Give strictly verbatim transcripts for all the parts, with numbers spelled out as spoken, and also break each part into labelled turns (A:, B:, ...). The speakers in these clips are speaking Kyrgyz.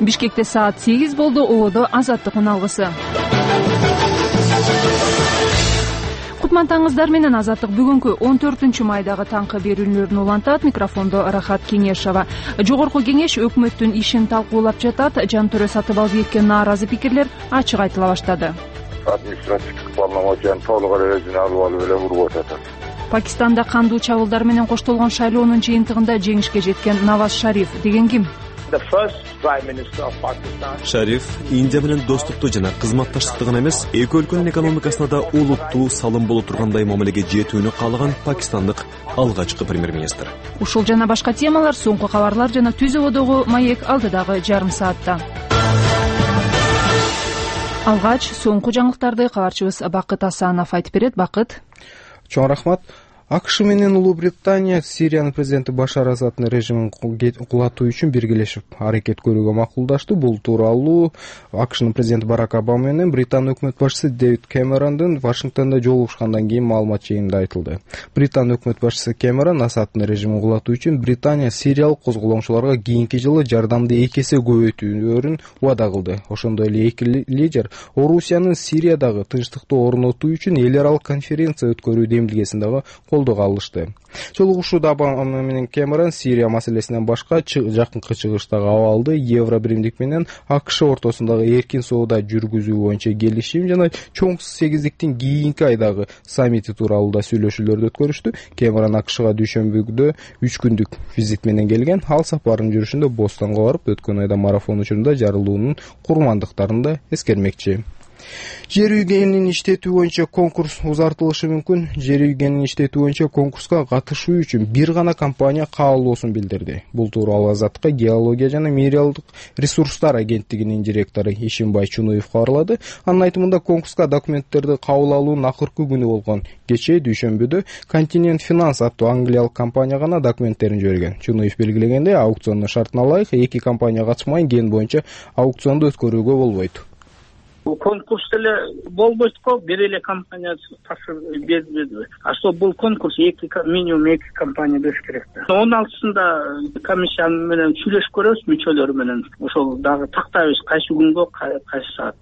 A: Бишкекте саат сегиз болду. Ободо Азаттыктын алгысы. Кутман менен Азаттык бүгүнкү он төртүнчү майдагы таңкы берүүлөрүн улантат. Микрофондо Рахат Кеңешова. Жогорку кеңеш өкмөттүн ишин талкуулап жатат. Жантөрө Сатыбалдиевге нааразы пикирлер ачык айтыла баштады.
B: Административдик полномочияны толук эле өзүнө алып алып эле уруп атат.
A: Пакистанда кандуу чабуулдар менен коштолгон шайлоонун жыйынтыгында жеңишке жеткен Наваз Шариф деген ким?
C: Шариф Индия менен достукту жана кызматташтыкты гана эмес, эки өлкөнүн экономикасына да олуттуу салым боло тургандай мамилеге жетүүнү каалаган пакистандык алгачкы премьер-министр.
A: Ушул жана башка темалар, соңку кабарлар жана Түз ободогу маек алдыдагы жарым саатта. Алгач соңку жаңылыктарды кабарчыбыз Бакыт Асанов айтып берет. Бакыт.
D: Чоң рахмат. АКШ менен Улуу Британия Сириянын президенти Башар Асаддын режимин кулатуу үчүн биргелешип аракет көрүүгө макулдаштı. Бул тууралуу АКШнын президенти Барак Обама менен Британ өкмөт башчысы Дэвид Кэмерондун Вашингтондо жолугушкандан кийин маалымат жыйынында айтылды. Британ өкмөт башчысы Кэмерон Асаддын режимин кулатуу үчүн Британия сириялык козголоңчуларга кийинки жылы жардамды эки эсе көбөйтүүрүн убада кылды. Ошондой эле эки лидер Орусиянын Сириядагы тынчтыкты орнотуу үчүн эл аралык конференция өткөрүү демилгесин дагы колдоого алышты. Жолугушууда Обама менен Кэмерон Сирия маселесинен башка жакынкы чыгыштагы абалды, Евро биримдик менен АКШ ортосундагы эркин соода жүргүзүү боюнча келишим жана чоң сегиздиктин кийинки айдагы саммити тууралуу да сүйлөшүүлөрдү өткөрүштү. Кэмерон АКШга дүйшөмбүдө үч күндүк визит менен келген. Ал сапарынын жүрүшүндө Бостонго барып, өткөн айда марафон учурунда жарылуунун курмандыктарын да эскермекчи. Жер үйгенин иштетүү боюнча конкурс узартылышы мүмкүн. Жер үйгенин иштетүү боюнча конкурска катышуу үчүн бир гана компания каалоосун билдирди. Бул тууралуу Азаттыкка геология жана минералдык ресурстар агенттигинин директору Ишимбай Чунуев кабарлады. Анын айтымында конкурска документтерди кабыл алуунун акыркы күнү болгон кечээ дүйшөмбүдө Continent Finance аттуу англиялык компания гана документтерин жиберген. Чунуев белгилегендей, аукциондун шартына ылайык эки компания катышмай ген боюнча аукционду өткөрүүгө болбойт.
E: Бул конкурс эле болбойт го, бир эле компания тапшыр бербеди. А что бул конкурс эки минимум эки компания бериш керек да. он алтысында комиссия менен сүйлөшүп көрөбүз, мүчөлөрү менен. Ошол дагы тактайбыз кайсы күнгө, кайсы саат.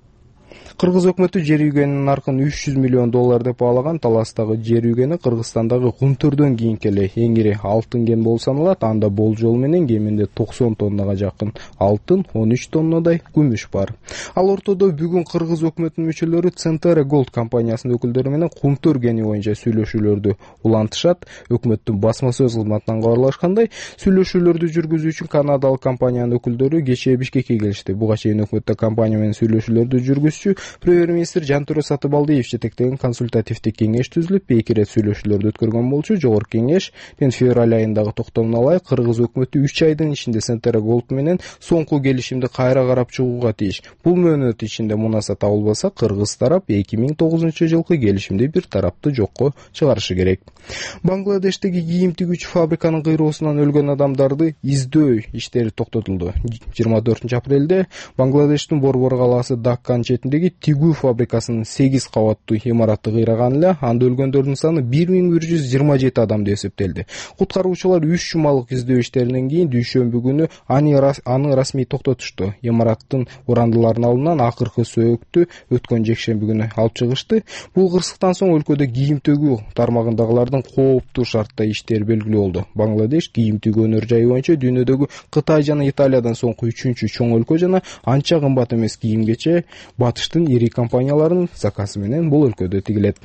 D: Кыргыз өкмөтү жер үйгенин наркын үч жүз миллион доллар деп баалаган. Таластагы жер үйгени Кыргызстандагы Кунтөрдөн кийинки эле эң ири алтын кен болуп саналат. Анда болжол менен кеминде токсон тоннага жакын алтын, он үч тоннадай күмүш бар. Ал ортодо бүгүн Кыргыз өкмөтүнүн мүчөлөрү Центера Gold компаниясынын өкүлдөрү менен Кунтөр кени боюнча сүйлөшүүлөрдү улантышат. Өкмөттүн басма сөз кызматынан кабарлашкандай, сүйлөшүүлөрдү жүргүзүү үчүн канадалык компаниянын өкүлдөрү кечээ Бишкекке келишти. Буга чейин өкмөттө компания менен сүйлөшүүлөрдү жүргүзчү премьер-министр Жантөрө Сатыбалдиев жетектеген консультативдик кеңеш түзүлүп, эки ирет сүйлөшүүлөрдү өткөргөн болчу. Жогорку кеңеш мен февраль айындагы токтомуна ылайык Кыргыз өкмөтү үч айдын ичинде Центера Gold менен соңку келишимди кайра карап чыгууга тийиш. Бул мөөнөт ичинде мунаса табылбаса, Кыргыз тарап эки миң тогузунчу жылкы келишимди бир тараптуу жокко чыгарышы керек. Бангладештеги кийим тигүүчү фабриканын кыйроосунан өлгөн адамдарды издөө иштери токтотулду. жыйырма төртүнчү апрелде Бангладештин Борбор калаасы Даккан четиндеги тигүү фабрикасынын сегиз кабаттуу имараты кыйраган эле. Анда өлгөндөрдүн саны бир миң бир жүз жыйырма жети адам деп эсептелди. Куткаруучулар үч жумалык издөө иштеринен кийин дүйшөмбү күнү аны расмий токтотушту. Имараттын урандыларынын алдынан акыркы сөөктү өткөн жекшемби күнү алып чыгышты. Бул кырсыктан соң өлкөдө кийим төгүү тармагындагылардын кооптуу шартта иштери белгилүү болду. Бангладеш кийим тигүү өнөр жайы боюнча дүйнөдөгү Кытай жана Италиядан соңку үчүнчү чоң өлкө жана анча кымбат эмес кийимгече батыштын ири компанияларынын заказы менен бул өлкөдө тигилет.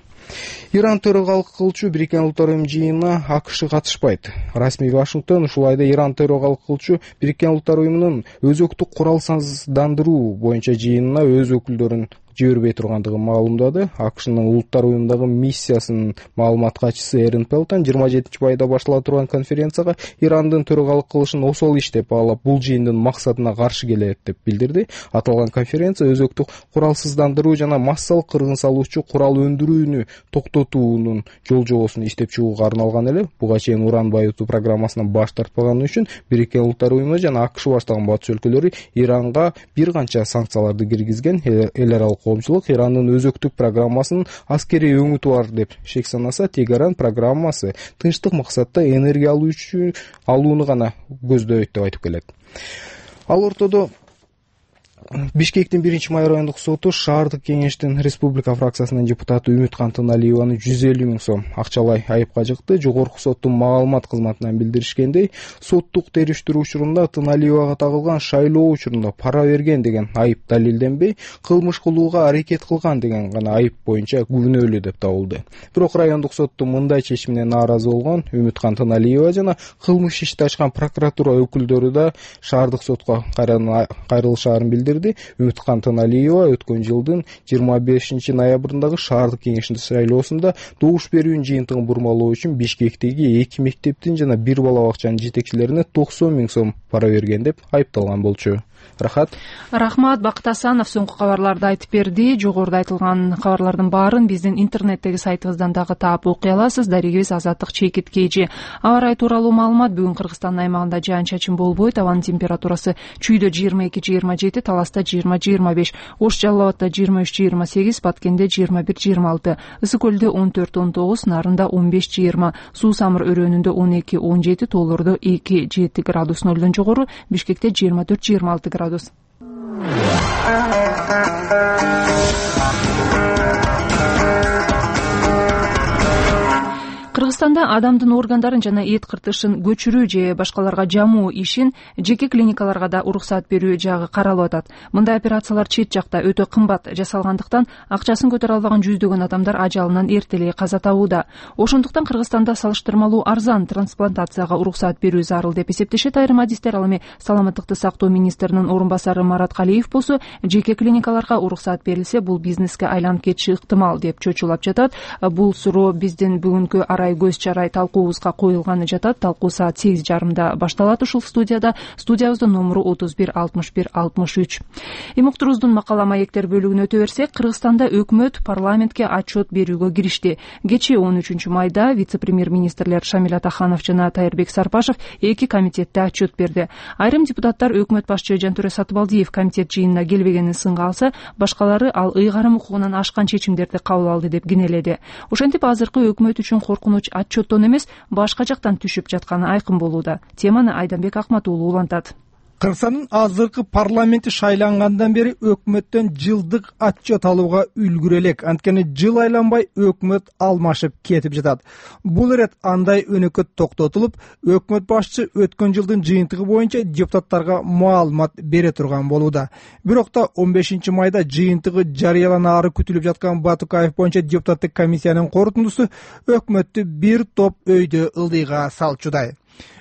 D: Иран төрөгалык кылчу Бириккен Улуттар Уюму жыйынына АКШ катышпайт. Расмий Вашингтон ушул айда Иран төрөгалык кылчу Бириккен Улуттар Уюмунун өзөктүк куралсыздандыруу боюнча жыйынына өз өкүлдөрүн жибербей тургандыгын маалымдады. АКШнын Улуттар Уюмундагы миссиясынын маалымат катчысы Эрин Пелтон жыйырма жетинчи майда баштала турган конференцияга Ирандын төрөгалык кылышын осол иш деп баалап, бул жыйындын максатына каршы келет деп билдирди. Аталган конференция өзөктүк куралсыздандыруу жана массалык кыргын салуучу курал өндүрүүнү токтотуунун жол жобосун иштеп чыгууга арналган эле. Буга чейин уран байытуу программасынан баш тартпаганы үчүн Бириккен Улуттар Уюму жана АКШ баштаган батыш өлкөлөрү Иранга бир канча санкцияларды киргизген. Эл аралык коомчулук Ирандын өзөктүк программасынын аскерий өңүтү бар деп шек санаса, Тегеран программасы тынчтык максатта энергия алуу үчүн алууну гана көздөйт деп айтып келет. Ал ортодо Бишкектин биринчи май райондук соту шаардык кеңештин республика фракциясынын депутаты Үмүткан Тыналиеваны жүз элүү миң сом акчалай айыпка жыкты. Жогорку соттун маалымат кызматынан билдиришкендей, соттук териштирүү учурунда Тыналиевага тагылган шайлоо учурунда пара берген деген айып далилденбей, кылмыш кылууга аракет кылган деген гана айып боюнча күнөөлүү деп табылды. Бирок райондук соттун мындай чечимине нааразы болгон Үмүткан Тыналиева жана кылмыш ишти ачкан прокуратура өкүлдөрү да шаардык сотко кайрылышаарын билдирди. Үмүткан Тыналиева өткөн жылдын жыйырма бешинчи ноябрындагы шаардык кеңештин шайлоосунда добуш берүүнүн жыйынтыгын бурмалоо үчүн Бишкектеги эки мектептин жана бир бала бакчанын жетекчилерине токсон миң сом пара берген деп айыпталган болчу. Рахат.
A: Рахмат. Бакыт Асанов соңку кабарларды айтып берди. Жогоруда айтылган кабарлардын баарын биздин интернеттеги сайтыбыздан дагы таап окуй аласыз. Дарегибиз Азаттык Чекит Кейжи. Аба ырайы тууралуу маалымат. Бүгүн Кыргызстандын аймагында жаан-чачын болбойт. Абанын температурасы чүйдө жыйырма эки жыйырма жети, Таласта жыйырма жыйырма беш, Ош Жалал Абадда жыйырма үч жыйырма сегиз, Баткенде жыйырма бир жыйырма алты, Ысык Көлдө он төрт он тогуз, Нарында он беш жыйырма, Суу Самыр өрөөнүндө он эки он жети, Тоолордо эки жети градус нөлдөн жогору, Бишкекте жыйырма төрт жыйырма алты градус. Кыргызстанда адамдын органдарын жана эт кыртышын көчүрүү же башкаларга жамуу ишин жеке клиникаларга да уруксат берүү жагы каралып атат. Мындай операциялар чет жакта өтө кымбат жасалгандыктан акчасын көтөрө албаган жүздөгөн адамдар ажалынан эртелей каза табууда. Ошондуктан Кыргызстанда салыштырмалуу арзан трансплантацияга уруксат берүү зарыл деп эсептешет айрым адистер. Ал эми саламаттыкты сактоо министринин орун басары Марат Калиев болсо, жеке клиникаларга уруксат берилсе, бул бизнеске айланып кетиши ыктымал деп чочулап жатат. Бул суроо биздин бүгүнкү арай көз чарай талкуубузга коюлганы жатат. Талкуу саат сегиз жарымда башталат ушул студияда. Студиябыздын номеру отуз бир алтымыш бир алтымыш үч. Эми уктурубуздун макала маектер бөлүгүнө өтө берсек, Кыргызстанда өкмөт парламентке отчет берүүгө киришти. Кечээ он үчүнчү майда вице-премьер-министрлер Шамиль Атаханов жана Тайырбек Сарпашев эки комитетте отчет берди. Айрым депутаттар өкмөт башчы Жантөре Сатыбалдиев комитет жыйынына келбегенин сынга алса, башкалары ал ыйгарым укугунан ашкан чечимдерди кабыл алды деп кенеледи. Ошентип азыркы өкмөт үчүн коркунуч отчеттон эмес, башка жактан түшүп жатканы айкын болууда. Теманы Айданбек Акмат уулу улантат.
F: Кыргызстандын азыркы парламенти шайлангандан бери өкмөттөн жылдык отчет алууга үлгүрө элек. Анткени жыл айланбай өкмөт алмашып кетип жатат. Бул ирет андай өнөкөт токтотулуп, өкмөт башчы өткөн жылдын жыйынтыгы боюнча депутаттарга маалымат бере турган болууда. Бирок та он бешинчи майда жыйынтыгы жарыяланаары күтүлүп жаткан Батукаев боюнча депутаттык комиссиянын корутундусу өкмөттү бир топ өйдө ылдыйга салчудай.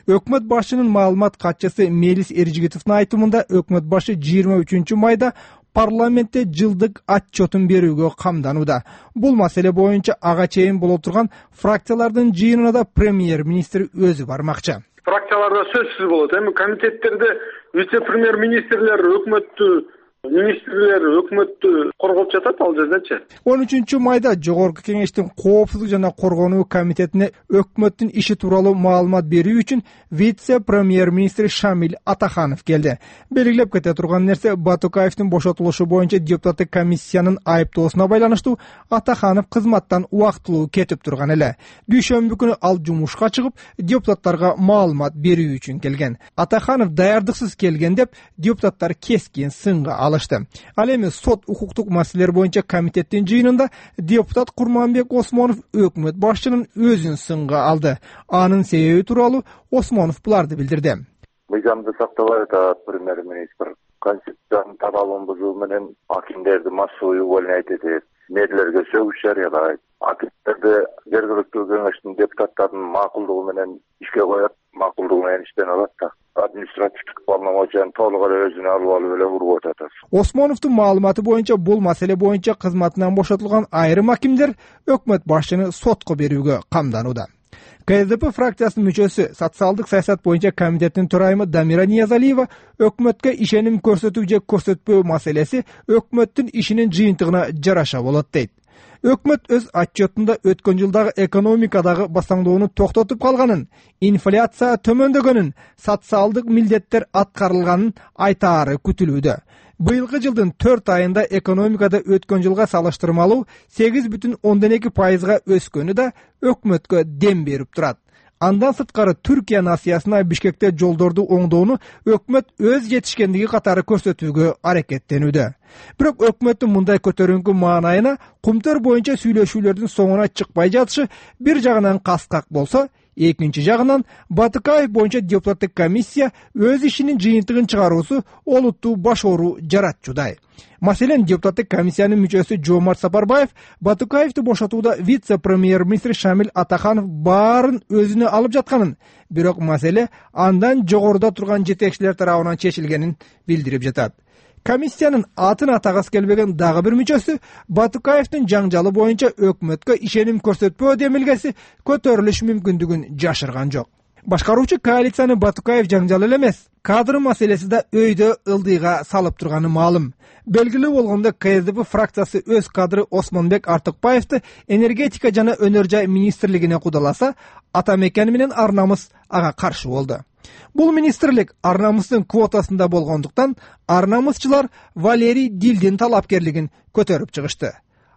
F: Өкмөт башчынын маалымат катчысы Мелис Эржигитовдун айтымында өкмөт башы жыйырма үчүнчү майда парламентте жылдык отчетун берүүгө камданууда. Бул маселе боюнча ага чейин боло турган фракциялардын жыйынына да премьер-министр өзү бармакчы.
B: Фракцияларда сөзсүз болот. Эми комитеттерде вице-премьер-министрлер өкмөттү министрлер өкмөттү коргоп жатат ал жердечи.
F: он үчүнчү майда жогорку кеңештин коопсуздук жана коргонуу комитетине өкмөттүн иши тууралуу маалымат берүү үчүн вице-премьер-министр Шамиль Атаханов келди. Белгилеп кете турган нерсе, Батукаевдин бошотулушу боюнча депутаттык комиссиянын айыптоосуна байланыштуу Атаханов кызматтан убактылуу кетип турган эле. Дүйшөмбү күнү ал жумушка чыгып, депутаттарга маалымат берүү үчүн келген. Атаханов даярдыксыз келген деп депутаттар кескин сынга алышты. Ал эми сот укуктук маселелер боюнча комитеттин жыйынында депутат Курманбек Осмонов өкмөт башчынын өзүн сынга алды. Анын себеби тууралуу Осмонов буларды билдирди.
B: Мыйзамды сактабай атат премьер-министр. Конституциянын талабын бузуу менен акимдерди массовый увольнять этет. Мэрлерге сөгүш жарыялайт. Акимдерди жергиликтүү кеңештин депутаттарынын макулдугу менен ишке коет, макулдугу менен иштен алат да. Административдик полномочияны толук эле өзүнө алып алып эле ургуп атат.
F: Осмоновдун маалыматы боюнча бул маселе боюнча кызматынан бошотулган айрым акимдер өкмөт башчыны сотко берүүгө камданууда. КСДП фракциясынын мүчөсү, социалдык саясат боюнча комитеттин төрайымы Дамира Ниязалиева өкмөткө ишеним көрсөтүү же көрсөтпөө маселеси өкмөттүн ишинин жыйынтыгына жараша болот дейт. Өкмөт өз отчетунда өткөн жылдагы экономикадагы басаңдоону токтотуп калганын, инфляция төмөндөгөнүн, социалдык милдеттер аткарылганын айтаары күтүлүүдө. Быйылкы жылдын төрт айында экономикада өткөн жылга салыштырмалуу сегиз бүтүн ондон эки пайызга өскөнү да өкмөткө дем берип турат. Андан сырткары Түркия насыясына Бишкекте жолдорду оңдоону өкмөт өз жетишкендиги катары көрсөтүүгө аракеттенүүдө. Бирок өкмөттүн мындай көтөрүңкү маанайына кумтөр боюнча сүйлөшүүлөрдүн соңуна чыкпай жатышы бир жагынан каскак болсо, экинчи жагынан Батыкаев боюнча депутаттык комиссия өз ишинин жыйынтыгын чыгаруусу олуттуу баш оору жаратчудай. Маселен, депутаттык комиссиянын мүчөсү Жомарт Сапарбаев Батыкаевди бошотууда вице-премьер-министр Шамил Атаханов баарын өзүнө алып жатканын, бирок маселе андан жогоруда турган жетекчилер тарабынан чечилгенин билдирип жатат. Комиссиянын атын атагысы келбеген дагы бир мүчөсү Батыкаевдин жаңжалы боюнча өкмөткө ишеним көрсөтпөө демилгеси көтөрүлүш мүмкүндүгүн жашырган жок. Башкаруучу коалицияны Батыкаев жаңжалы эле эмес, кадр маселеси да өйдө ылдыйга салып турганы маалым. Белгилүү болгондо Ка Эс Д П фракциясы өз кадры Осмонбек Артыкбаевди энергетика жана өнөр жай министрлигине кудаласа, ата мекен менен Ар намыс ага каршы болду. Бул министрлик Ар намыстын квотасында болгондуктан Ар намысчылар Валерий Дилдин талапкерлигин көтөрүп чыгышты.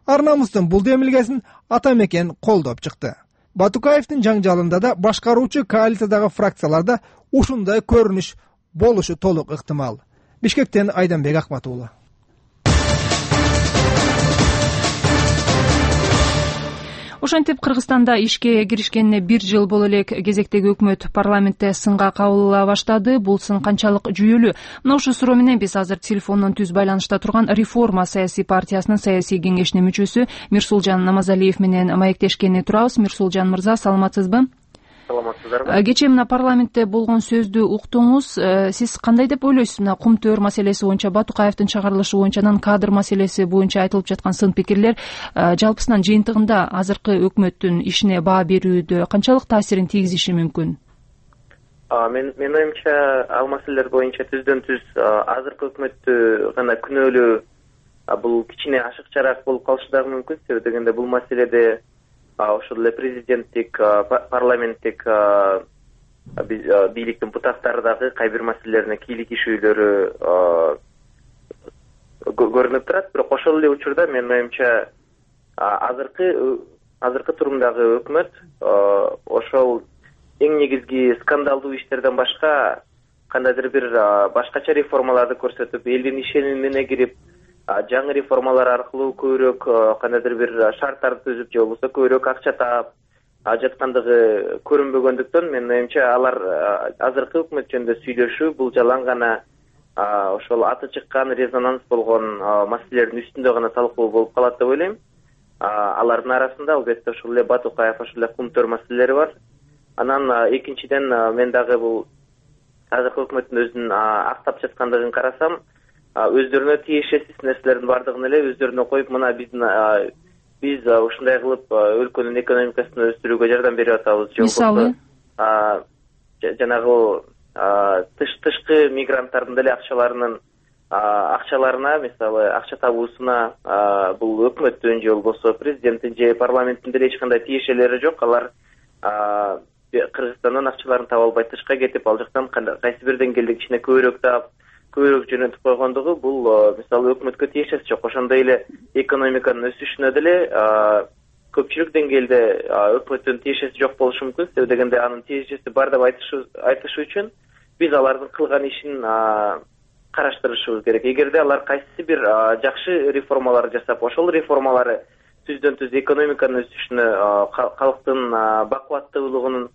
F: Ар намыстын бул демилгесин ата мекен колдоп чыкты. Батыкаевдин жаңжалында да башкаруучу коалициядагы фракцияларда ушундай көрүнүш болушу толук ыктымал. Бишкектен Айданбек Акмат уулу.
A: Ошентип Кыргызстанда ишке киришкенине бир жыл боло элек кезектеги өкмөт парламентте сынга кабыл ала баштады. Бул сын канчалык жүйөлүү? Мына ушул суроо менен биз азыр телефондон түз байланышта турган Реформа саясий партиясынын саясий кеңешинин мүчөсү Мирсулжан Намазалиев менен маектешкени турабыз. Мирсулжан мырза, саламатсызбы?
G: Саламатсыздарбы?
A: Кечээ мына парламентте болгон сөздү уктуңуз. Сиз кандай деп ойлойсуз? Мына кумтөр маселеси боюнча, Батыкаевдин чыгарылышы боюнча, анан кадр маселеси боюнча айтылып жаткан сын пикирлер жалпысынан жыйынтыгында азыркы өкмөттүн ишине баа берүүдө канчалык таасирин тийгизиши мүмкүн?
G: Мен мен оюмча ал маселелер боюнча түздөн түз азыркы өкмөттү гана күнөөлөө бул кичине ашыкчараак болуп калышы дагы мүмкүн. Себеби дегенде бул маселеде ошол эле президенттик, парламенттик бийликтин бутактары дагы кай бир маселелерине кийлигишүүлөрү көрүнүп турат. Бирок ошол эле учурда менин оюмча азыркы азыркы турумдагы өкмөт ошол эң негизги скандалдуу иштерден башка кандайдыр бир башкача реформаларды көрсөтүп, элдин ишенимине кирип, жаңы реформалар аркылуу көбүрөөк кандайдыр бир шарттарды түзүп, же болбосо көбүрөөк акча таап жаткандыгы көрүнбөгөндүктөн менин оюмча алар азыркы өкмөт жөнүндө сүйлөшүү бул жалаң гана ошол аты чыккан, резонанс болгон маселелердин үстүндө гана талкуу болуп калат деп ойлойм. Алардын арасында албетте ошол эле Батыкаев, ошол эле кумтөр маселелери бар. Анан экинчиден мен дагы бул азыркы өкмөттүн өзүн актап жаткандыгын карасам, өздөрүнө тиешеси нерселердин бардыгын эле өздөрүнө коюп, мына биздин биз ушундай кылып өлкөнүн экономикасын өстүрүүгө жардам берип атабыз.
A: Мисалы,
G: жанагы тышкы мигранттардын деле акчаларынын акчаларына, мисалы, акча табуусуна бул өкмөттүн же болбосо президенттин же парламенттин деле эч кандай тиешелери жок. Алар Кыргызстандан акчаларын таба албай тышка кетип, ал жактан кайсы бир деңгээлде кичине көбүрөөк таап, көбүрөөк жөнөтүп койгондугу бул мисалы өкмөткө тиешеси жок. Ошондой эле экономиканын өсүшүнө деле көпчүлүк деңгээлде өкмөттүн тиешеси жок болушу мүмкүн. Себеби дегенде анын тиешеси бар деп айтышы үчүн биз алардын кылган ишин караштырышыбыз керек. Эгерде алар кайсы бир жакшы реформалар жасап, ошол реформалары түздөн түз экономиканын өсүшүнө, калктын бакубаттуулугунун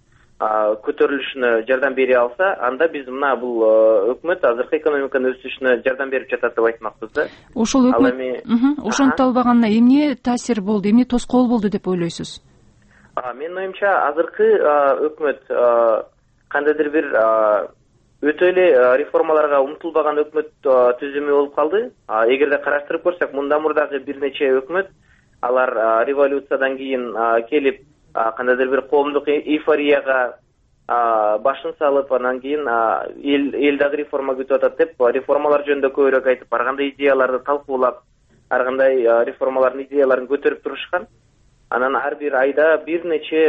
G: көтөрүлүшүнө жардам бере алса, анда биз мына бул өкмөт азыркы экономиканын өсүшүнө жардам берип жатат деп айтмакпыз да.
A: Ошол өкмөт ошентип албаганына эмне таасир болду, эмне тоскоол болду деп ойлойсуз?
G: Менин оюмча азыркы өкмөт кандайдыр бир өтө эле реформаларга умтулбаган өкмөт түзүмү болуп калды. Эгерде караштырып көрсөк, мындан мурдагы бир нече өкмөт алар революциядан кийин келип кандайдыр бир коомдук эйфорияга башын салып, анан кийин эл эл дагы реформа күтүп атат деп реформалар жөнүндө көбүрөөк айтып, ар кандай идеяларды талкуулап, ар кандай реформалардын идеяларын көтөрүп турушкан. Анан ар бир айда бир нече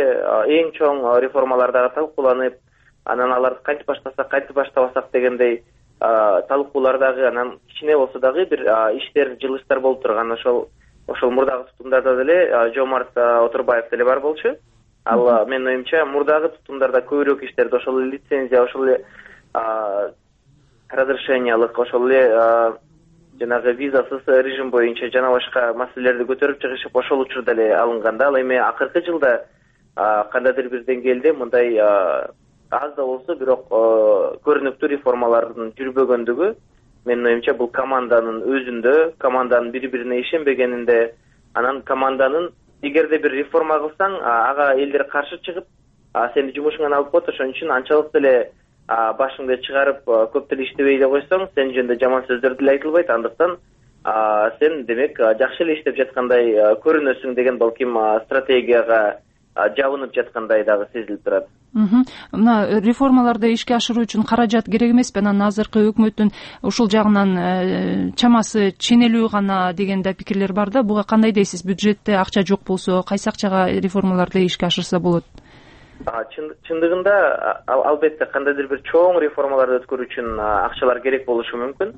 G: эң чоң реформалар дагы талкууланып, анан аларды кантип баштасак, кантип баштабасак дегендей талкуулар дагы, анан кичине болсо дагы бир иштер, жылыштар болуп турган. Ошол ошол мурдагы тутумдарда деле Жомарт Отурбаев деле бар болчу. ал менин оюмча мурдагы тутумдарда көбүрөөк иштерди ошол эле лицензия, ошол эле разрешениялык, ошол эле жанагы визасыз режим боюнча жана башка маселелерди көтөрүп чыгышып ошол учурда эле алынган да. Ал эми акыркы жылда кандайдыр бир деңгээлде мындай аз да болсо бирок көрүнүктүү реформалардын жүрбөгөндүгү менин оюмча бул команданын өзүндө, команданын бири бирине ишенбегенинде, анан команданын эгерде бир реформа кылсаң ага элдер каршы чыгып сени жумушуңан алып коет, ошон үчүн анчалык деле башыңды чыгарып көп деле иштебей эле койсоң сен жөнүндө жаман сөздөр деле айтылбайт, андыктан сен демек жакшы эле иштеп жаткандай көрүнөсүң деген балким стратегияга жабынып жаткандай дагы сезилип турат.
A: Мына реформаларды ишке ашыруу үчүн каражат керек эмеспи? Анан азыркы өкмөттүн ушул жагынан чамасы ченелүү гана деген да пикирлер бар да. Буга кандай дейсиз? Бюджетте акча жок болсо кайсы акчага реформаларды ишке ашырса болот?
G: Чындыгында албетте кандайдыр бир чоң реформаларды өткөрүү үчүн акчалар керек болушу мүмкүн.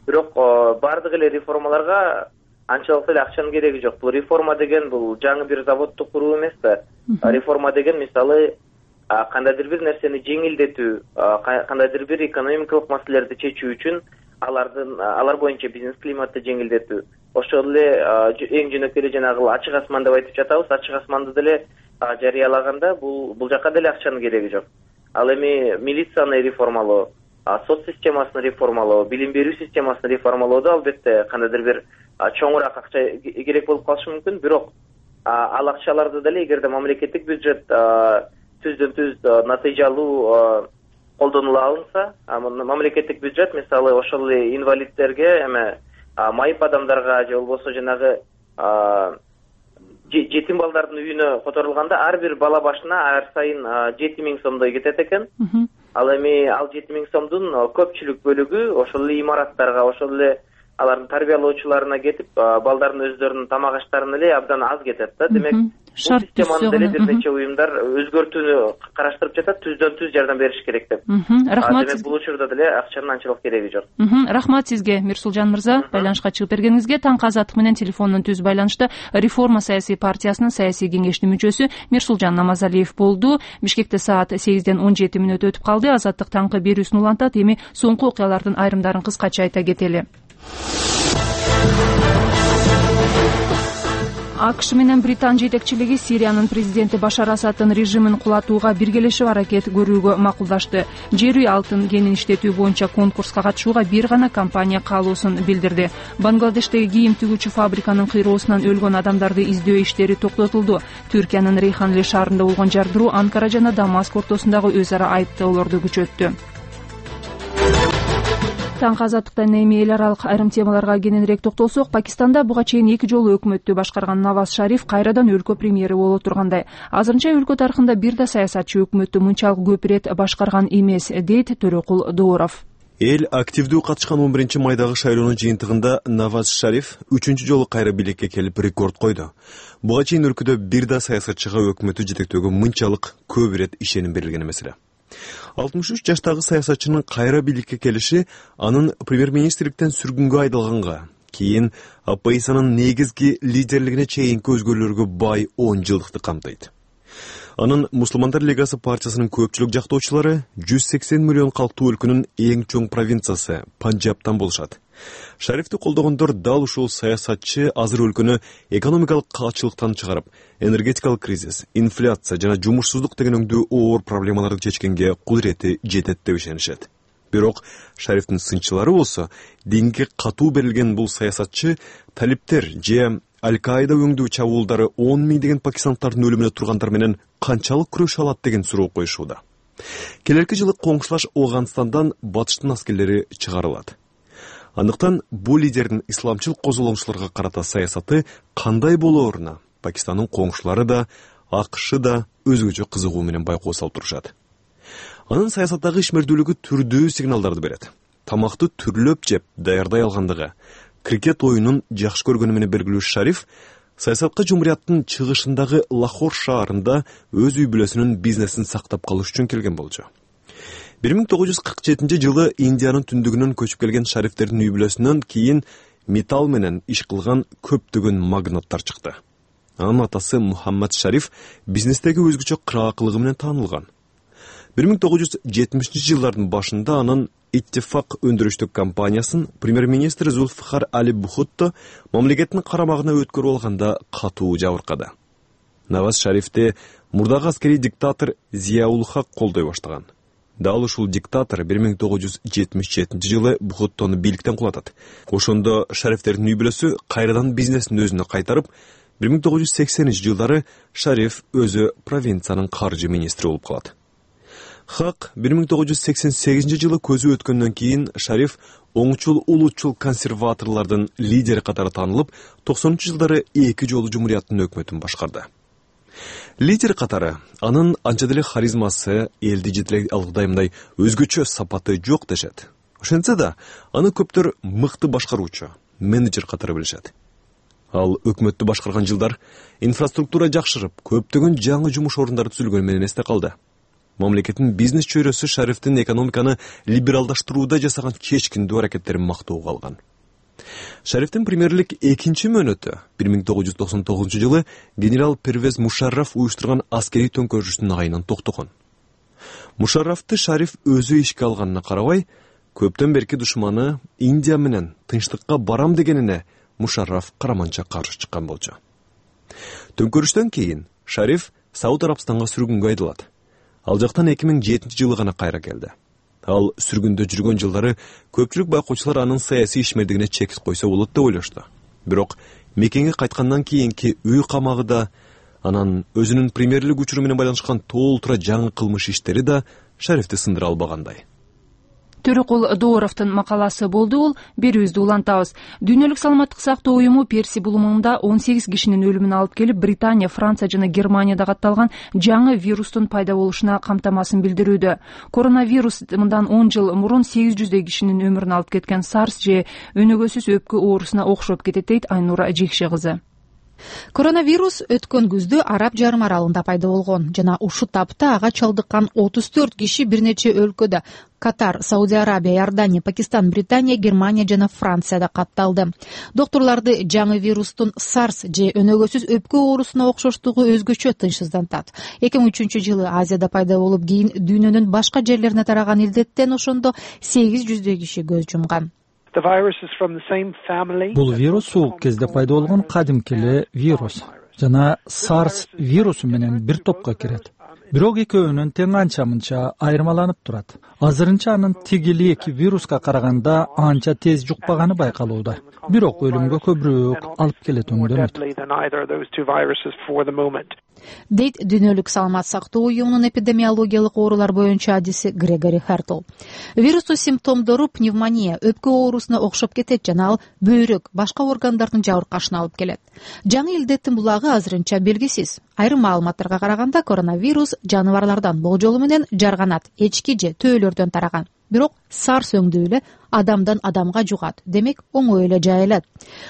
G: Бирок баардык эле реформаларга анчалык эле акчанын кереги жок. Бул реформа деген бул жаңы бир заводду куруу эмес да. Реформа деген мисалы кандайдыр бир нерсени жеңилдетүү, кандайдыр бир экономикалык маселелерди чечүү үчүн алардын алар боюнча бизнес климатты жеңилдетүү. Ошол эле эң жөнөкөй эле жанагы ачык асман деп айтып жатабыз. Ачык асманды деле жарыялаганда бул бул жака деле акчанын кереги жок. Ал эми милицияны реформалоо, соц системасын реформалоо, билим берүү системасын реформалоодо албетте кандайдыр бир чоңураак акча керек болуп калышы мүмкүн. Бирок ал акчаларды деле эгерде мамлекеттик бюджет түздөн түз натыйжалуу колдонула алынса, мамлекеттик бюджет мисалы ошол эле инвалиддерге, эме майып адамдарга же болбосо жанагы жетим балдардын үйүнө которулганда ар бир бала башына ар сайын жети миң сомдой кетет экен. Ал эми ал жети миң сомдун көпчүлүк бөлүгү ошол эле имараттарга, ошол эле алардын тарбиялоочуларына кетип, балдардын өздөрүнүн тамак аштарына эле абдан аз кетет да. Демек, бул системаны деле бир нече уюмдар өзгөртүүнү караштырып жатат, түздөн түз жардам бериш керек деп.
A: Рахмат.
G: Демек, бул учурда деле акчанын анчалык кереги жок.
A: Рахмат сизге, Мирсулжан мырза, байланышка чыгып бергениңизге. Таңкы азаттык менен телефондон түз байланышта Реформа саясий партиясынын саясий кеңештин мүчөсү Мирсулжан Намазалиев болду. Бишкекте саат сегизден он жети мүнөт өтүп калды. Азаттык таңкы берүүсүн улантат. Эми соңку окуялардын айрымдарын кыскача айта кетели. АКШ менен Британ жетекчилиги Сириянын президенти Башар Асаддын режимин кулатууга биргелешип аракет көрүүгө макулдашты. Жер үй алтын кенин иштетүү боюнча конкурска катышууга бир гана компания каалоосун билдирди. Бангладештеги кийим тигүүчү фабриканын кыйроосунан өлгөн адамдарды издөө иштери токтотулду. Түркиянын Рейханли шаарында болгон жардыруу Анкара жана Дамаск ортосундагы өз ара айыптоолорду күчөттү. Таңкы азаттыктан эми эл аралык айрым темаларга кененирээк токтолсок, Пакистанда буга чейин эки жолу өкмөттү башкарган Наваз Шариф кайрадан өлкө премьери боло тургандай. Азырынча өлкө тарыхында бир да саясатчы өкмөттү мынчалык көп ирет башкарган эмес, дейт Төрөкул Дооров.
C: Эл активдүү катышкан он биринчи майдагы шайлоонун жыйынтыгында Наваз Шариф үчүнчү жолу кайра билекке келип рекорд койду. Буга чейин өлкөдө бир да саясатчыга өкмөттү жетектөөгө мынчалык көп ирет ишеним берилген эмес эле. алтымыш үч жаштагы саясатчынын кайра бийликке келиши анын премьер-министрликтен сүргүнгө айдалганга, кийин оппозициянын негизги лидерлигине чейинки өзгөрүүлөргө бай он жылдыкты камтыйт. Анын Мусулмандар лигасы партиясынын көпчүлүк жактоочулары жүз сексен миллион калктуу өлкөнүн эң чоң провинциясы Панджабтан болушат. Шарифти колдогондор дал ушул саясатчы азыр өлкөнү экономикалык каачылыктан чыгарып, энергетикалык кризис, инфляция жана жумушсуздук деген өңдүү оор проблемаларды чечкенге кудурети жетет деп ишенишет. Бирок Шарифтин сынчылары болсо, динге катуу берилген бул саясатчы талиптер же Аль-Каида өңдүү чабуулдары он миңдеген пакистандардын өлүмүнө тургандар менен канчалык күрөшө алат деген суроо коюшууда. Келерки жылы коңшулаш Афганистандан батыштын аскерлери чыгарылат. Андыктан бул лидердин исламчыл козголоңчуларга карата саясаты кандай болооруна Пакистандын коңшулары да, АКШ да өзгөчө кызыгуу менен байкоо салып турушат. Анын саясаттагы ишмердүүлүгү түрдүү сигналдарды берет. Тамакты түрлөп жеп даярдай алгандыгы, крикет оюнун жакшы көргөнү менен белгилүү Шариф саясатка жумурияттын чыгышындагы Лахор шаарында өз үй бүлөсүнүн бизнесин сактап калыш үчүн келген болчу. бир миң тогуз жүз кырк жетинчи жылы Индиянын түндүгүнөн көчүп келген Шарифтердин үй бүлөсүнөн кийин металл менен иш кылган көптөгөн магнаттар чыкты. Анын атасы Мухаммад Шариф бизнестеги өзгөчө кыраакылыгы менен таанылган. бир миң тогуз жүз жетимишинчи жылдардын башында анын Иттифак өндүрүштүк компаниясын премьер-министр Зульфикар Али Бухутто мамлекеттин карамагына өткөрүп алганда катуу жабыркады. Наваз Шарифти мурдагы аскерий диктатор Зияул Хак колдой баштаган. Дал ушул диктатор бир миң тогуз жүз жетимиш жетинчи жылы Бухуттону бийликтен кулатат. Ошондо Шарифтердин үй бүлөсү кайрадан бизнесин өзүнө кайтарып, бир миң тогуз жүз сексенинчи жылдары Шариф өзү провинциянын каржы министри болуп калат. Хак бир миң тогуз жүз сексен сегизинчи жылы көзү өткөндөн кийин Шариф оңчул улутчул консерваторлордун лидери катары таанылып, токсонунчу жылдары эки жолу жумурияттын өкмөтүн башкарды. Лидер катары анын анча деле харизмасы, элди жетелей алгыдаймындай өзгөчө сапаты жок дешет. Ошентсе да, аны көптөр мыкты башкаруучу, менеджер катары билишет. Ал өкмөттү башкарган жылдар инфраструктура жакшырып, көптөгөн жаңы жумуш орундары түзүлгөнү менен эсте калды. Мамлекеттин бизнес чөйрөсү Шарифтин экономиканы либералдаштырууда жасаган чечкиндүү аракеттерин мактоого алган. Шарифтин премьерлик экинчи мөөнөтү бир миң тогуз жүз токсон тогузунчу жылы генерал Первез Мушарраф уюштурган аскерий төңкөрүштүн айынан токтогон. Мушаррафты Шариф өзү ишке алганына карабай, көптөн берки душманы Индия менен тынчтыкка барам дегенине Мушарраф караманча каршы чыккан болчу. Төңкөрүштөн кийин Шариф Сауд Арабстанга сүргүнгө айдалат. Ал жактан эки миң жетинчи жылы гана кайра келди. Ал сүргүндө жүргөн жылдары көпчүлүк байкоочулар анын саясий ишмердигине чек койсо болот деп ойлошту. Бирок мекенге кайткандан кийинки үй камагы да, анан өзүнүн премьерлик учуру менен байланышкан толтура жаңы кылмыш иштери да Шарифти сындыра албагандай.
A: Төрөкул Дооровдун макаласы болду. Бул берүүбүздү улантабыз. Дүйнөлүк саламаттык сактоо уюму Перси булумунда он сегиз кишинин өлүмүнө алып келип, Британия, Франция жана Германияда катталган жаңы вирустун пайда болушуна камтамасын билдирүүдө. Коронавирус мындан он жыл мурун сегиз жүздөй кишинин өмүрүн алып кеткен SARS же өнөгөсүз өпкө оорусуна окшоп кетет дейт Айнура Жекше кызы.
H: Коронавирус өткөн күздө Араб жарым аралында пайда болгон жана ушул тапта ага чалдыккан отуз төрт киши бир нече өлкөдө Катар, Саудия Арабия, Иордания, Пакистан, Британия, Германия жана Францияда катталды. Докторлорду жаңы вирустун SARS же өнөгөсүз өпкө оорусуна окшоштугу өзгөчө тынчсыздантат. эки миң үчүнчү жылы Азияда пайда болуп, кийин дүйнөнүн башка жерлерине тараган илдеттен ошондо сегиз жүздөй киши көз жумган.
F: Бул вирус ул кезде пайда болгон кадимки эле вирус жана SARS вирусу менен бир топко кирет. Бирок экөөнүн тең анча-мынча айырмаланып турат. Азырынча анын тигил эки вируска караганда анча тез жукпаганы байкалууда. Бирок өлүмгө көбүрөөк алып келет өңдөнөт.
H: Дейт Дүйнөлүк саламат сактоо уюмунун эпидемиологиялык оорулар боюнча адиси Грегори Хертл. Вирустун симптомдору пневмония, өпкө оорусуна окшоп кетет жана ал бөйрөк, башка органдардын жабыркашына алып келет. Жаңы илдеттин булагы азырынча белгисиз. Айрым маалыматтарга караганда коронавирус жаныбарлардан болжолу менен жарганат, эчки же төөлөрдөн тараган. Бирок SARS өңдүү эле адамдан адамга жугат, демек оңой эле жайылат.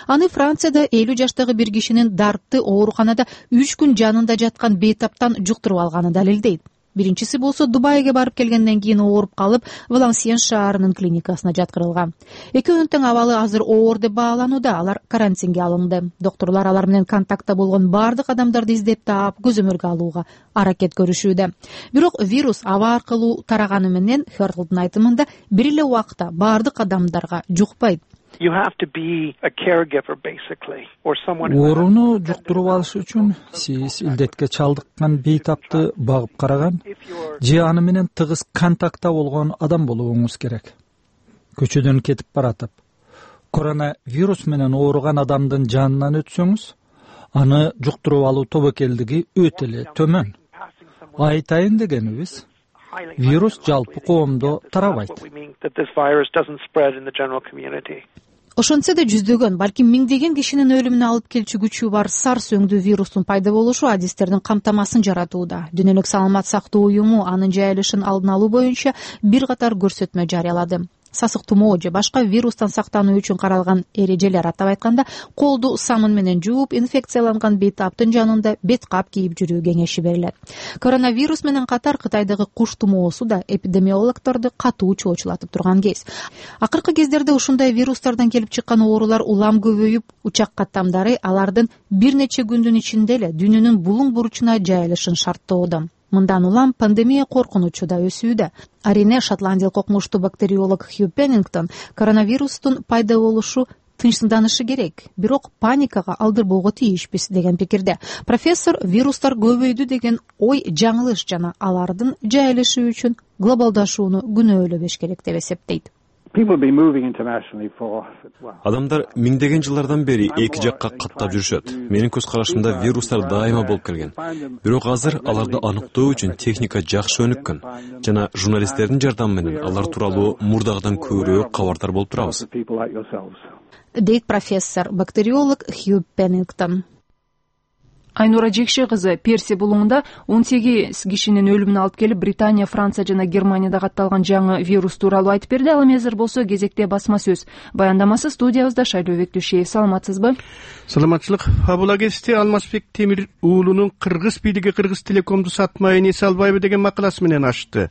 H: Аны Францияда элүү жаштагы бир кишинин Дартты ооруканада үч күн жанында жаткан бейтаптан жуктуруп алганы далилдейт. Биринчиси болсо Дубайга барып келгенден кийин ооруп калып, Валансиен шаарынын клиникасына жаткырылган. Экөөнүн тең абалы азыр оор деп бааланууда, алар карантинге алынды. Докторлор алар менен контактта болгон бардык адамдарды издеп таап, көзөмөлгө алууга аракет көрүшүүдө. Бирок вирус аба аркылуу тараганы менен Хертлдун айтымында бир эле убакта бардык адамдарга жукпайт.
F: Ооруну жуктуруп алыш үчүн сиз илдетке чалдыккан бейтапты багып караган же аны менен тыгыз контактта болгон адам болуңуз керек. Көчөдөн кетип баратып, коронавирус менен ооруган адамдын жанынан өтсөңүз, аны жуктуруп алуу тобокелдиги өтө эле төмөн. Айтайын дегенибиз, вирус жалпы коомдо тарабайт.
H: Ошентсе да жүздөгөн, балки миңдеген кишинин өлүмүнө алып келчү күчү бар SARS өңдүү вирустун пайда болушу адистердин камтамасын жаратууда. Дүйнөлүк саламат сактоо уюму анын жайылышын алдын алуу боюнча бир катар көрсөтмө жарыялады. сасык тумоо же башка вирустан сактануу үчүн каралган эрежелер, атап айтканда колду самын менен жууп, инфекцияланган бейтаптын жанында бет кап кийип жүрүү кеңеши берилет. Коронавирус менен катар Кытайдагы куш тумоосу да эпидемиологдорду катуу чоочулатып турган кез. Акыркы кездерде ушундай вирустардан келип чыккан оорулар улам көбөйүп, учак каттамдары алардын бир нече күндүн ичинде эле дүйнөнүн булуң буручуна жайылышын шарттоодо. Мындан улам пандемия коркунучу да өсүүдө. Арине шотландиялык окумуштуу бактериолог Хью Пеннингтон коронавирустун пайда болушу тынчсызданышы керек, бирок паникага алдырбоого тийишпиз деген пикирде. Профессор вирустар көбөйдү деген ой жаңылыш жана алардын жайылышы үчүн глобалдашууну күнөөлөбөш керек деп эсептейт.
C: Адамдар миңдеген жылдардан бери эки жакка каттап жүрүшөт. Менин көз карашымда вирустар дайыма болуп келген. Бирок азыр аларды аныктоо үчүн техника жакшы өнүккөн жана журналисттердин жардамы менен алар тууралуу мурдагыдан көбүрөөк кабардар болуп турабыз,
H: дейт профессор бактериолог Хью Пеннингтон.
A: Айнура Жекше кызы Перси булуңунда он сегиз кишинин өлүмүнө алып келип, Британия, Франция жана Германияда катталган жаңы вирус тууралуу айтып берди. Ал эми азыр болсо кезекте басма сөз баяндамасы студиябызда. Шайлообек Түшеев, саламатсызбы?
I: Саламатчылык. Фабула кести Алмазбек Темир уулунун Кыргыз бийлиги Кыргыз Телекомду сатмай эсе албайбы деген макаласы менен ачты.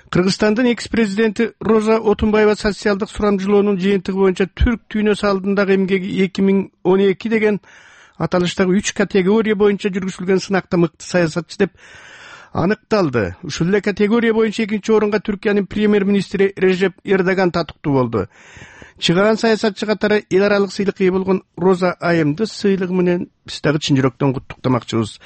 I: Кыргызстандын экс-президенти Роза Отунбаева социалдык сурамжылоонун жыйынтыгы боюнча Түрк дүйнөсү алдындагы эмгеги эки миң он эки деген аталыштагы үч категория боюнча жүргүзүлгөн сынакта мыкты саясатчы деп аныкталды. Ушул эле категория боюнча экинчи орунга Түркиянын премьер-министри Режеп Эрдоган татыктуу болду. Чыгаран саясатчы катары эл аралык сыйлыкка ээ болгон Роза Айымды сыйлыгы менен биз дагы чын жүрөктөн куттуктамакчыбыз.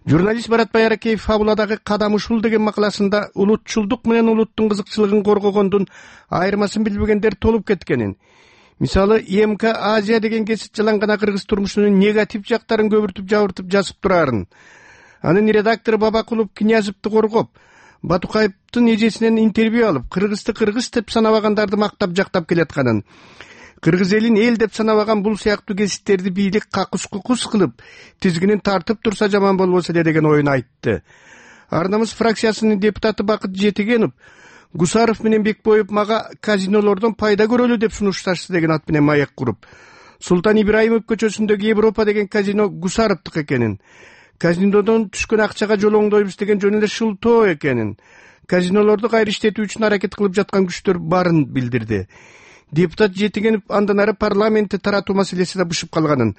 I: Журналист Барат Байракеев фабуладагы кадам ушул деген макаласында улутчулдук менен улуттун кызыкчылыгын коргогондун айырмасын билбегендер толуп кеткенин, мисалы И М К Азия деген кесип жалаң гана кыргыз турмушунун негатив жактарын көбүртүп жабыртып жазып турарын, анын редактору Бабакулов Князевди коргоп, Батукаевдин эжесинен интервью алып, кыргызды кыргыз деп санабагандарды мактап жактап келатканын, кыргыз элин эл деп санабаган бул сыяктуу кесиптерди бийлик какус-кукус кылып, тизгинин тартып турса жаман болбосо эле деген оюн айтты. Ар намыс фракциясынын депутаты Бакыт Жетигенов Гусаров менен Бекбоев мага казинолордон пайда көрөлү деп сунушташты деген ат менен маек куруп, Султан Ибраимов көчөсүндөгү Европа деген казино Гусаровдук экенин, казинодон түшкөн акчага жолоңдойбуз деген жөн эле шултоо экенин, казинолорду кайра иштетүү үчүн аракет кылып жаткан күчтөр барын билдирди. Депутат Жетигенов андан ары парламентти таратуу маселеси да бышып калганын,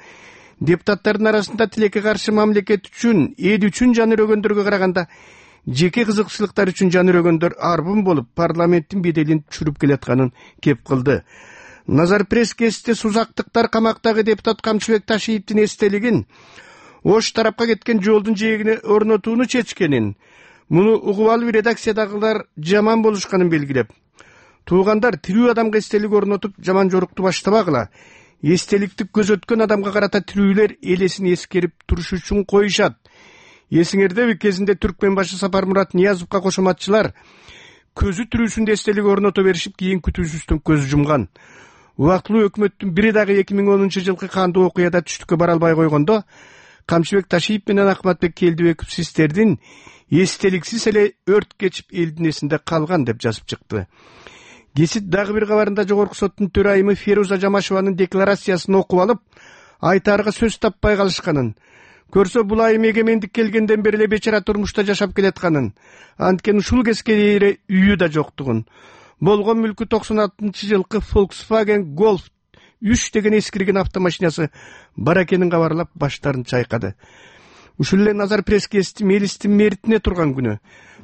I: депутаттардын арасында тилекке каршы мамлекет үчүн, эл үчүн жан өрөгөндөргө караганда жеке кызыкчылыктар үчүн жан өрөгөндөр арбын болуп, парламенттин беделин түшүрүп келатканын кеп кылды. Назар пресс-кесте сузактыктар камактагы депутат Камчыбек Ташиевдин эстелигин Ош тарапка кеткен жолдун жээгине орнотууну чечкенин, муну угуп алып редакциядагылар жаман болушканын белгилеп, туугандар тирүү адамга эстелик орнотуп жаман жорукту баштабагыла, эстеликти көзөткөн адамга карата тирүүлөр элесин эскерип туруш үчүн коюшат. Эсиңердеби, кезинде Түркмен башы Сапармурат Ниязовго кошоматчылар көзү тирүүсүндө эстелик орното беришип, кийин күтүүсүздөн көз жумган. Убактылуу өкмөттүн бири дагы эки миң онунчу жылкы кандуу окуяда түштүккө бара албай койгондо, Камчыбек Ташиев менен Акматбек Келдибеков сиздердин эстеликсиз эле өрт кечип элдин эсинде калган деп жазып чыкты. Кесип дагы бир кабарында жогорку соттун төрайымы Феруза Жамашеванын декларациясын окуп алып, айтаарга сөз таппай калышканын, көрсө бул айым эгемендик келгенден бери эле бечара турмушта жашап келатканын, анткени ушул кезге чейин үйү да жоктугун, болгон мүлкү токсон алтынчы жылкы Volkswagen Golf үч деген эскирген автомашинасы бар экенин кабарлап баштарын чайкады. Ушул эле Назар пресс-кести Мелистин меритине турган күнү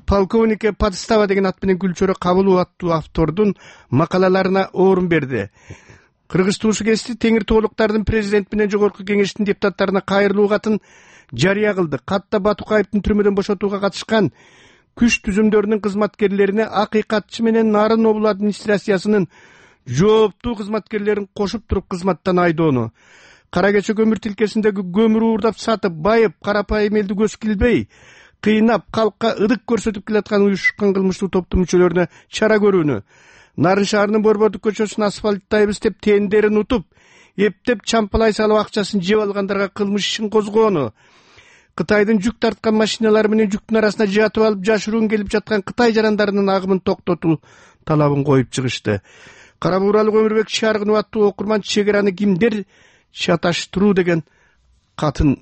I: полковнике Подстава деген ат менен Гүлчөрө Кабылов аттуу автордун макалаларына орун берди. Кыргыз туусу кести Теңир Тоолуктардын президент менен жогорку кеңештин депутаттарына кайрылуу катын жарыя кылды. Катта Батукаевдин түрмөдөн бошотууга катышкан күч түзүмдөрүнүн кызматкерлерине акыйкатчы менен Нарын облу администрациясынын жооптуу кызматкерлерин кошуп туруп кызматтан айдоону, кара кече көмүр тилкесиндеги көмүр уурдап сатып, байып, карапайым элди көз килбей, кыйнап, калкка ыдык көрсөтүп келаткан уюшкан кылмыштуу топтун мүчөлөрүнө чара көрүүнү, Нарын шаарынын Борбордук көчөсүн асфальттайбыз деп тендерин утуп, эптеп чампалай салып акчасын жеп алгандарга кылмыш ишин козгоону, Кытайдын жүк тарткан машиналары менен жүктүн арасына жатып алып жашыруун келип жаткан Кытай жарандарынын агымын токтотуу талабын коюп чыгышты. Кара бууралык Өмүрбек Шаргынов аттуу окурман чек араны кимдер чаташтыруу деген катын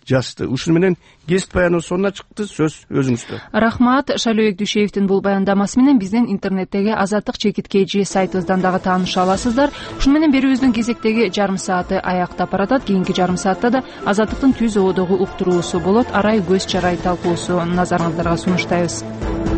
I: жазды. Ушуну менен кесип баяныбыз сонуна чыкты. Сөз өзүңүздө.
A: Рахмат. Шайлообек Дүйшеевдин бул баяндамасы менен биздин интернеттеги Азаттык чекит кж сайтыбыздан дагы тааныша аласыздар. Ушуну менен берүүбүздүн кезектеги жарым сааты аяктап баратат. Кийинки жарым саатта да Азаттыктын түз оодогу уктуруусу болот. Арай көз чарай талкуусу назарыңыздарга сунуштайбыз.